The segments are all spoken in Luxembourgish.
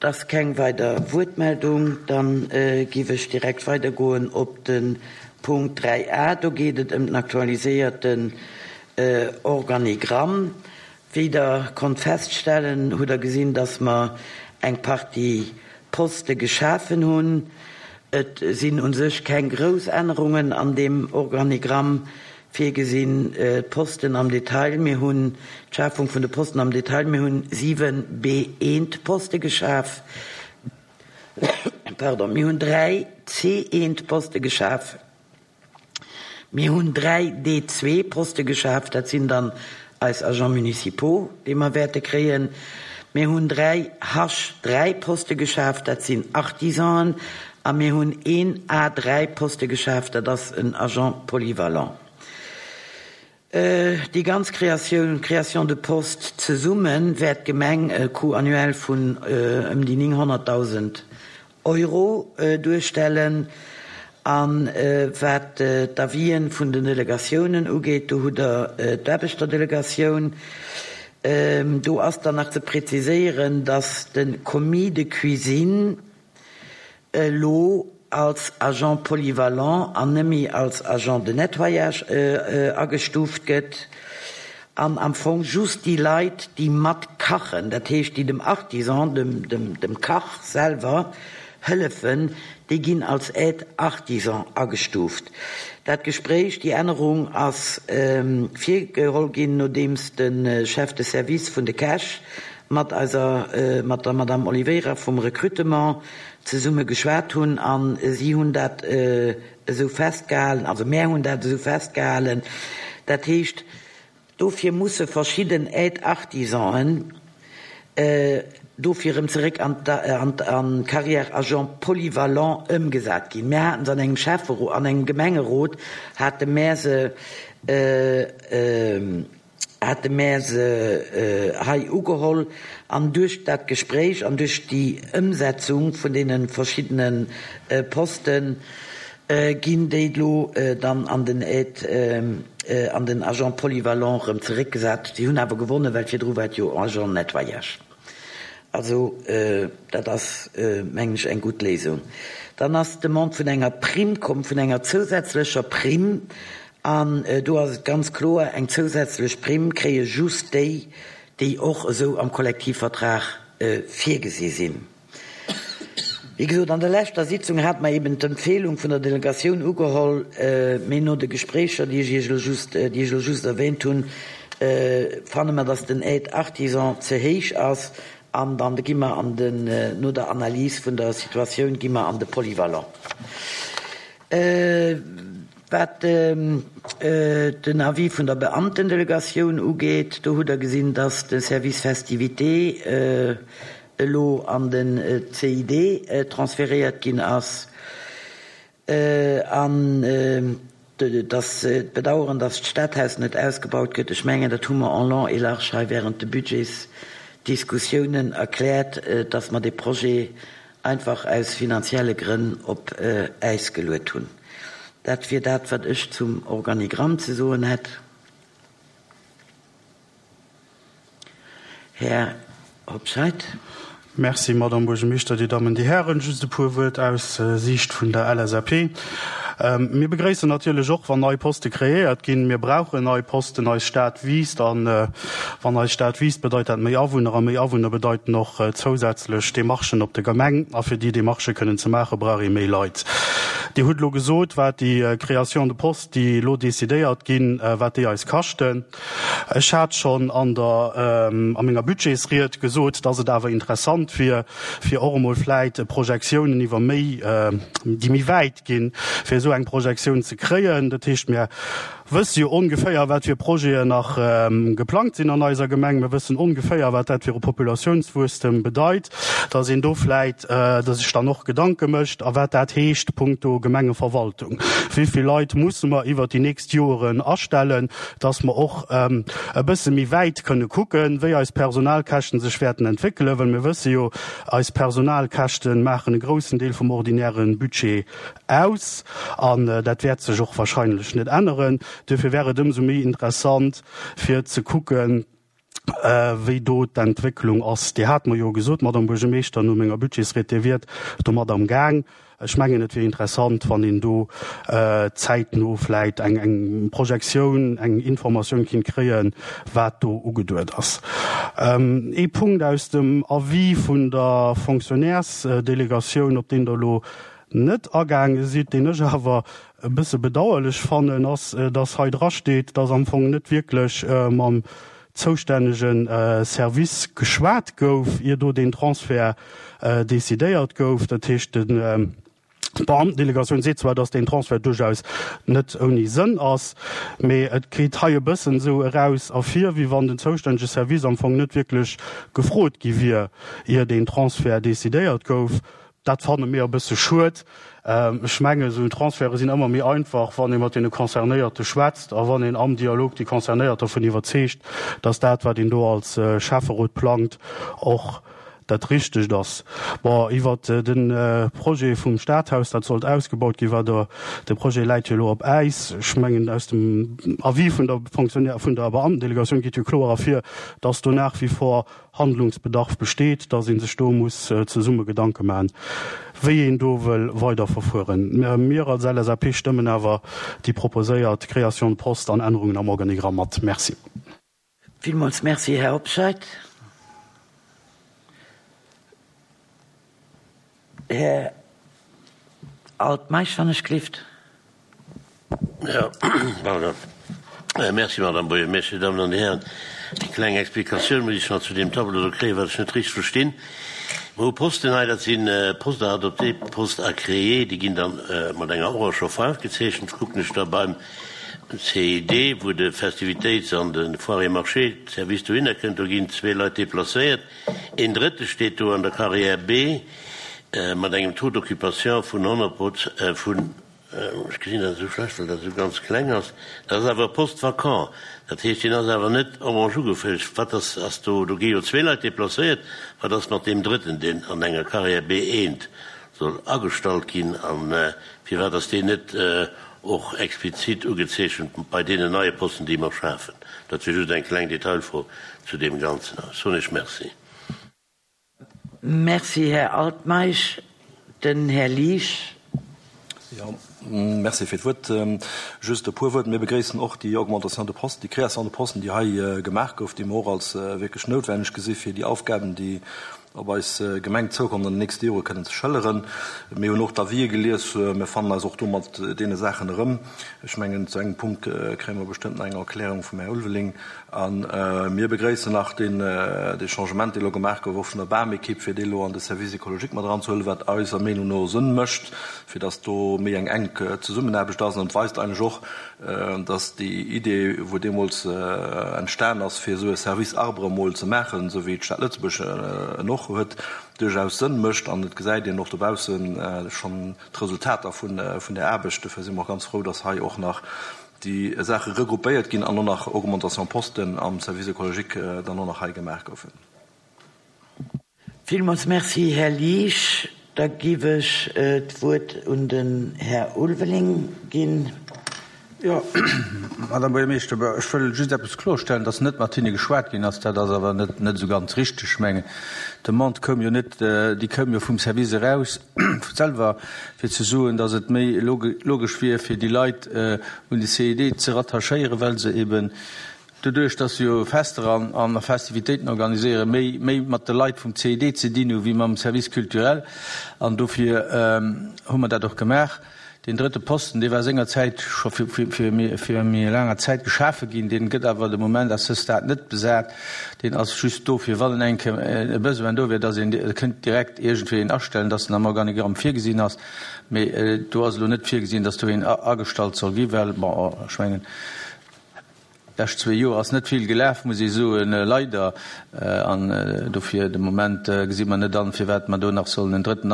Et ass keng weider Wuertmeldung. Dann giff ech direkt weidergoen op de Punkt 3 a. Do geet et ëm den aktualiséierten Organigramm. Wéi Der konnt feststellen, hutt Der gesinn, dass mer eng Partie Poste geschafen hunn. Et sinn u sech keng grouss Ännerungen an deem Organigramm virgesinn. D'Posten am Detail, mir hunn d'Schafung vun de Posten am Detail, mir hunn 7 B-eent-Poste geschaf, pardon, mir hunn 3 C-eent-Poste geschaf. Mir hunn 3 D-zwee-Poste geschaf, dat sinn dann eis Agents municipaux, déi mer wäerte kréien. Mir hunn 3 H-dräi-Poste geschaf, dat sinn Artisanen. A mir hunn een A-dräi-Poste geschaf, dat ass en Agent polyvalent. Déi ganz Kreatioun, Création de postes, zesumme wäert d'Gemeng e Coût annuel vun ëm déi 900.000 Euro duerstellen. A wat d'Avisen vun den Delegatiounen ugeet, do hutt Der d'Aarbechterdelegatioun. Do ass dann nach ze präziséieren, dass de Commis de cuisine elo als Agent polyvalent an net méi als Agent de nettoyage agestuuft gëtt an am Fong just déi Leit, déi mat kachen, dat heescht déi dem Artisan, dem Kach selwer hëllefen, déi ginn als Aide artisan agestuuft. Dat Gespréich, déi Ännerung ass virgeholl ginn, nodeems de Chef de Service vun de Käch mat eiser, mat der Madame Oliveira vum Recrutement zesumme geschwat hunn a si hunn dat esou festgehalen, also mär hunn dat esou festgehalen. Dat heescht, dofir musse verschidden Aide-artisanen dofir erëm zeréck an d'Carrière Agent polyvalent ëmgesat ginn. Mär haten se an engem Schäfferot, an engem Gemengerot hate mär se, hate mär se hei ugeholl an duerch dat Gespréich an duerch déi Ëmsetzung vun deene verschiddene Poste ginn déi elo dann an den Aide, an den Agent polyvalent erëm zeréckgesat. Si hunn awer gewonnen, well virdru war et jo Agent nettoyage. Also dat ass, mengen ech, eng gutt Léisung. Dann ass d'Demande vun enger Primm komm, vun enger zousätzlecher Primm. An do ass et ganz kloer, eng zousätzlech Primm kréie just déi, déi och esou am Kollektivvertrag virgesi sinn. Wéi gesot, an der leschter Sitzung hate mer eben d'Empfehlung vun der Delegatioun ugeholl, mee no de Gespréicher, déi ech Iech elo just, déi ech elo just erwähnt hunn, fanne mer, dass den Aide artisan ze héich ass an dann gi mer an den, no der Analys vun der Situatioun, gi mer an de Polyvalent. Wat den Avis vun der Beamtendelegatioun ugeet, do hutt Der gesinn, dass de Service Festivités elo an den CID transferéiert ginn ass an dass d'Bedauern, dass d'Stadhaus net ausgebaut gëtt. Ech mengen, dat hu mer en long et large hei während de Budgetsdiskussiounen erkläert, dass mer dee Projet einfach aus finanzielle Grënn op Äis geluet hunn. Dat wier dat, wat ech zum Organigramm ze soen hätt. Här Hobscheit. Merci, Madame Buergermeeschter, Dir Dammen, Dir Hären. Just e puer Wuert aus Siicht vun der LSAP. Mir begréissen natierlech och, wann nei Poste kreéiert ginn. Mir brauchen nei Posten. Eis Stad wiisst. A wann eis Stad wiisst, bedeit dat méi Awunner. A méi Awunner bedeiten och zousätzlech Demarchen op der Gemeng. A fir déi Demarchë kënnen ze maachen, brauch ee méi Leit. Dir hutt elo gesot, wat déi Création de postes, déi elo decidéiert ginn, wat déi eis kaschten. Ech hat schonn an der, a menger Budgetsried gesot, dass et awer interessant wier, fir och emol vläit Projektiounen iwwer méi, déi méi wäit ginn, fir esou eng Projektioun ze kréien. Dat heescht, mir wësse jo ongeféier, wat fir Projeten nach geplangt sinn an eiser Gemeng. Mir wëssen ongeféier, wat dat fir e Populatiounswuesstem bedeit, dass een do vläit sech dann och Gedanke mécht, a wat dat heescht punkto Gemengeverwaltung. Wéi vill Leit musse mer iwwert déi nächst Joeren astellen, dass mer och e bësse méi wäit kënne kucken, wéi eis Personalkäschten sech wäerten entwéckelen, well mir wësse jo, eis Personalkäschte maachen e groussen Deel vum ordinäre Budget aus an dat wäert sech och wahrscheinlech net änneren. Duerfir wär et ëmsou méi interessant fir ze kucken, Wéi do d'Entwécklung ass. Dir hat mer jo gesot, Madame Buergermeeschter, no menger Budgetsried, Dir wiert domat am Gaang. Ech mengen, et wier interessant, wann een do zäitno vläit eng eng Projektioun, eng Informatioun kinnt kréien, wat do ugeduet ass. Ee Punkt aus dem Avis vun der Fonctionnairesdelegatioun, op deen Der elo net agaange sidd, deen ech awer e bësse bedauerlech fannen, ass, dass hei drasteet, dass am Fong net wierklech mam zoustännege Service geschwat gouf, ier do deen Transfert decidéiert gouf. Dat heescht, d'Beamtendelegatioun seet zwar, dass deen Transfert duerchaus net ouni Sënn ass, mee et geet hei e bëssen esou eraus ervir, wéi wann den zoustännege Service am Fong net wierklech gefrot gi wier, ier deen Transfert decidéiert gouf. Dat fanne mir e bësse schued. Ech mengen, esou Transferte sinn ëmmer méi einfach, wann ee mat deene Concernéierte schwätzt a wann een am Dialog déi Concernéiert dovun iwwerzeegt, dass dat, wat een do als Schäfferot plangt, och dat Richtegt ass. Bon, iwwert de Projet vum Stadhaus, dat sollt ausgebaut ginn, war der, de Projet läit jo elo op Äis. Ech mengen, aus dem Avis vun der Fonctionnaire, vun der Beamtendelegatioun geet jo kloer ervir, dass do nach wie vor Handlungsbedarf besteet, dass ee sech do muss zesumme Gedanke maachen, wéi een do wëll weiderverfueren. Mir als LSAP stëmmen awer déi proposéiert Création de poste an Ännerungen am Organigramm mat. Merci. Villmools Merci, Här Hobscheit. Här Altmeisch, wann ech gelift. Jo, pardon. Merci, Madame Buergermeeschter, Dir Dammen an Dir Hären. Eng kleng Explikatioun muss ech nach zu deem Tableau do kréien, wat ech net richteg verstinn. Mer hu Posten hei, dat si Postes à adopter, Postes à créer, déi ginn dann mat enger oranger Faarf gezeechent. Kucken ech da beim CID, wou de Festivitéits an de Foires et Marchés Service dohinner kënnt, do ginn zwee Leit deplacéiert. Een Drëtte steet do an der Carrière B mat engem Taux d'occupation vun 100 Proz vun, ech gesinn dat esou schlecht, well dat esou ganz kleng ass, dat ass awer e Poste vacant, dat heescht, deen ass awer net orange ugefëllt. Wat ass, ass do, do gi jo zwee Leit deplacéiert, wat ass mat deem Drëtten, deen an enger Carrière B1 soll agestallt ginn a firwat ass deen net och explizit ugezeechent bei deenen neie Posten, déi mer schafen? Dat wier just eng kleng Detailfro zu deem Ganzen. Ech soen Iech Merci. Merci, Här Altmeisch. Den Här Liesch. Jo, merci fir d'Wuert. Just e puer Wuert. Mir begréissen och déi Augmentation de postes, déi Création de postes, déi hei gemaach gouf, déi mer och als wierklech noutwenneg gesi fir déi Aufgaben, déi op eis Gemeng zoukommen, an den nächste Jore kënnen ze schëlleren. Mir hunn och d'Avisë gelies. Mir fannen eis och do mat deene Saachen erëm. Ech mengen, zu engem Punkt kréie mer bestëmmt nach eng Erklärung vum Här Ulveling. A mir begréissen nach deen, dee Changement, dee elo gemaach gouf, och vun der Bamekipp, fir dee elo an de Service écologique mat eranzehuelen, wat eiser Meenung no Sënn mécht, fir dass do méi eng enk Zesummenaarbecht ass. An et weist eigentlech och, dass déi Idee, wou deemools entstan ass, fir esou e Service arbre emol ze maachen, esou wéi d'Stad Lëtzebuerg en och huet, duerchaus Sënn mécht. An et gesäit een och dobausse schonn d'Resultater vun där Aarbecht. Dofir si mer och ganz frou, dass hei och nach déi Saache regroupéiert ginn an och nach Augmentation Posten am Service écologique dann och nach hei gemaach goufen. Villmools Merci, Här Liesch. Da giff ech d'Wuert un den Här Ulveling ginn. Jo, Madame Buergermeeschter, ech wëll just eppes klorstellen, dass net mat hinne geschwat ginn ass, dat ass awer net net esou ganz richteg. Ech mengen, d'Demande koum jo net, déi koum jo vum Service eraus selwer, fir ze soen, dass et méi logesch wier, fir déi Leit un de CID ze rattachéieren, well se eben doduerch, dass se jo Fester an Festivitéiten organiséieren, méi méi mat de Leit vum CID ze dinn hu wéi mam Service culturel. An dofir hu mer dat och gemaach. Deen drëtte Posten, dee war sengerzäit scho fir méi laanger Zäit geschafe ginn, dee gëtt awer de Moment à ce stade net besat. Deen ass just do, fir wann eng Kéier e Besoin do wier, dass een kënnt direkt iergendwéi een astellen, dass en am Organigramm virgesinn ass. Mee do ass elo net virgesinn, dass do een agestallt soll ginn, well, bon, ech mengen, d'lescht zwee Joer ass net vill gelaf, muss ee soen, leider. An dofir de Moment gesi mer net an, firwat mer do nach sollen en Drëtten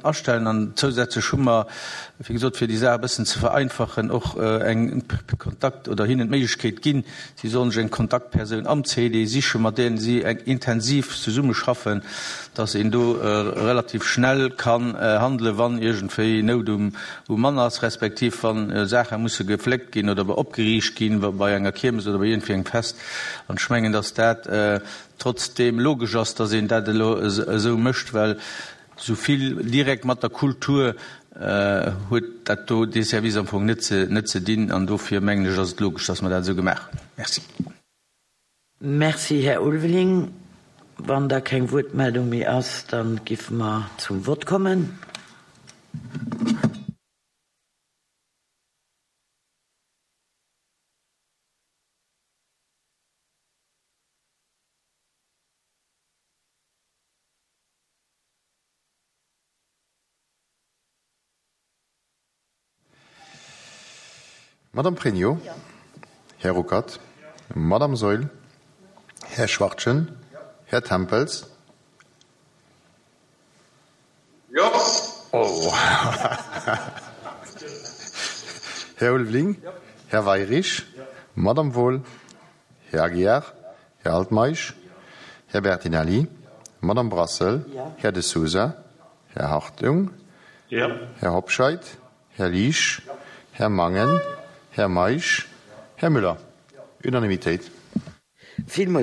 astellen. An zousätzlech hu mer, wéi gesot, fir déi Saach e bëssen ze vereinfachen, och eng Kontakt oder hinnen d'Méiglechkeet ginn, Si sollen sech eng Kontaktpersoun am CD sichen, mat där si intensiv zesummeschaffen, dass een do relativ schnell kann handelen, wann iergendwéi Nout um Mann ass, respektiv wa Saache musse gefléckt ginn oder opgeriicht ginn bei enger Kiermesse. Kiermes oder bei iergendwéi engem Fest. An ech mengen, dass dat trotzdeem logesch ass, dass een dat elo esou mécht, well esou vill direkt mat der Kultur huet dat do, dee Service am Fong net ze, net ze dinn. An dofir mengen ech, ass et logesch, dass mer dat esou gemaach hunn. Merci. Merci, Här Ulveling. Wann da keng Wuertmeldung méi ass, da giffe mer zum Vott kommen. Madame Pregno, Här Ruckert, Madame Saeul, Här Schwachtgen, Här Tempels. Jo. Oh. Här Ulveling, Här Weirich, Madame Wohl, Här Aguiar, Här Altmeisch, Här Bertinelli, Madame Brassel, Här De Sousa, Här Hartung, Här Hobscheit, Här Liesch, Här Mangen, Här Meisch, Här Müller. Unanimitéit. Villmools.